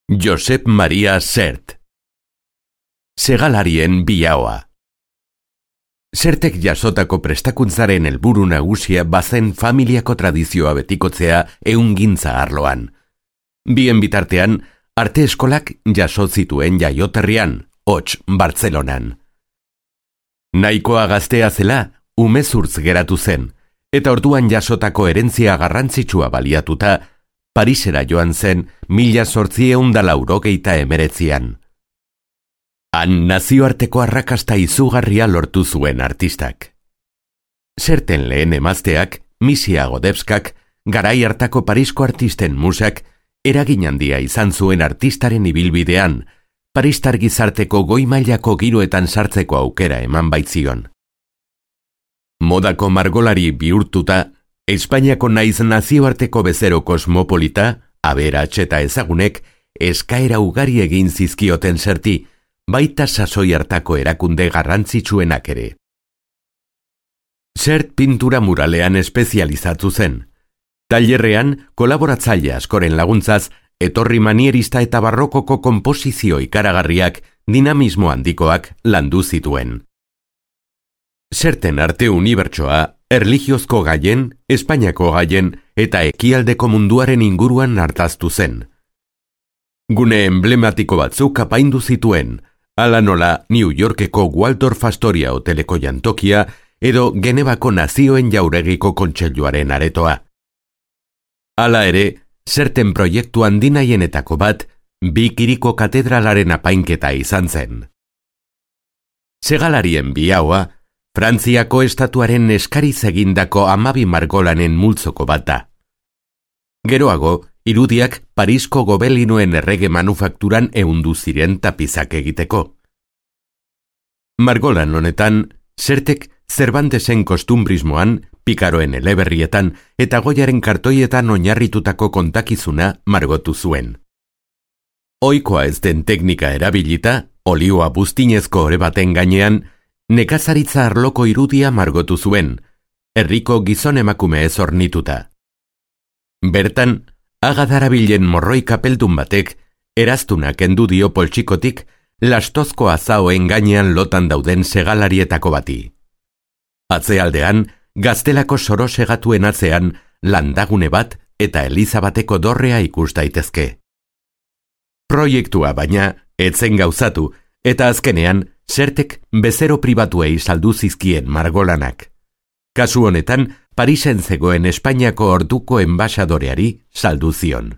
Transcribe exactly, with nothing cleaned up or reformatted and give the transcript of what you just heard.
Josep Maria Sert. Segalarien biaoa. Sertek jasotako prestakuntzaren helburu nagusia bazen familiako tradizioa betikotzea ehungintza arloan. Bien bitartean, arte eskolak jaso zituen jaioterrian, hots, Bartzelonan. Nahikoa gaztea zela, umezurtz geratu zen, eta orduan jasotako herentzia garrantzitsua baliatuta, Parisera joan zen mila zortzieun da laurogeita emeretzian. Han nazioarteko arrakasta izugarria lortu zuen artistak. Serten lehen emazteak, Misia Godebskak, garai hartako Parisko artisten musak, eragin handia izan zuen artistaren ibilbidean, paristar gizarteko goi mailako giroetan sartzeko aukera eman baitzion. Modako margolari bihurtuta, Espainiako naiz nazioarteko bezero kosmopolita, aberats eta ezagunek, eskaera ugari egin zizkioten Serti, baita sasoi hartako erakunde garrantzitsuenak ere. Sert pintura muralean espezializatu zen. Tailerrean, kolaboratzaile askoren laguntzaz, etorri manierista eta barrokoko konposizio ikaragarriak, dinamismo handikoak landu zituen. Serten arte unibertsoa, erlijiozko gaien, Espainiako gaien eta ekialdeko munduaren inguruan hartaztu zen. Gune emblematiko batzuk apaindu zituen, ala nola New Yorkeko Waldorf Astoria hoteleko jantokia edo Genevako nazioen jauregiko kontseiluaren aretoa. Hala ere, Serten proiektu handinaienetako bat, bi kiriko katedralaren apainketa izan zen. Segalarien biaoa, Frantziako estatuaren eskariz egindako hamabi margolanen multzoko bat da. Geroago, irudiak Parisko gobelinoen errege manufakturan ehundu ziren tapizak egiteko. Margolan honetan, Sertek Cervantesen kostumbrismoan, Pikaroen eleberrietan eta Goiaren kartoietan oinarritutako kontakizuna margotu zuen. Ohikoa ez den teknika erabilita, olioa buztinezko ore baten gainean, nekazaritza arloko irudia margotu zuen, herriko gizon emakumeez ornituta. Bertan, agadarabilen morroi kapeldun batek, eraztuna kendu dio poltsikotik, lastozko azaoen gainean lotan dauden segalarietako bati. Atzealdean, gaztelako soro segatuen atzean, landagune bat eta eliza bateko dorrea ikus daitezke. Proiektua baina, etzen gauzatu, eta azkenean, Sertek bezero pribatuei saldu zizkien margolanak. Kasu honetan, Parisen zegoen Espainiako orduko enbaxadoreari saldu zion.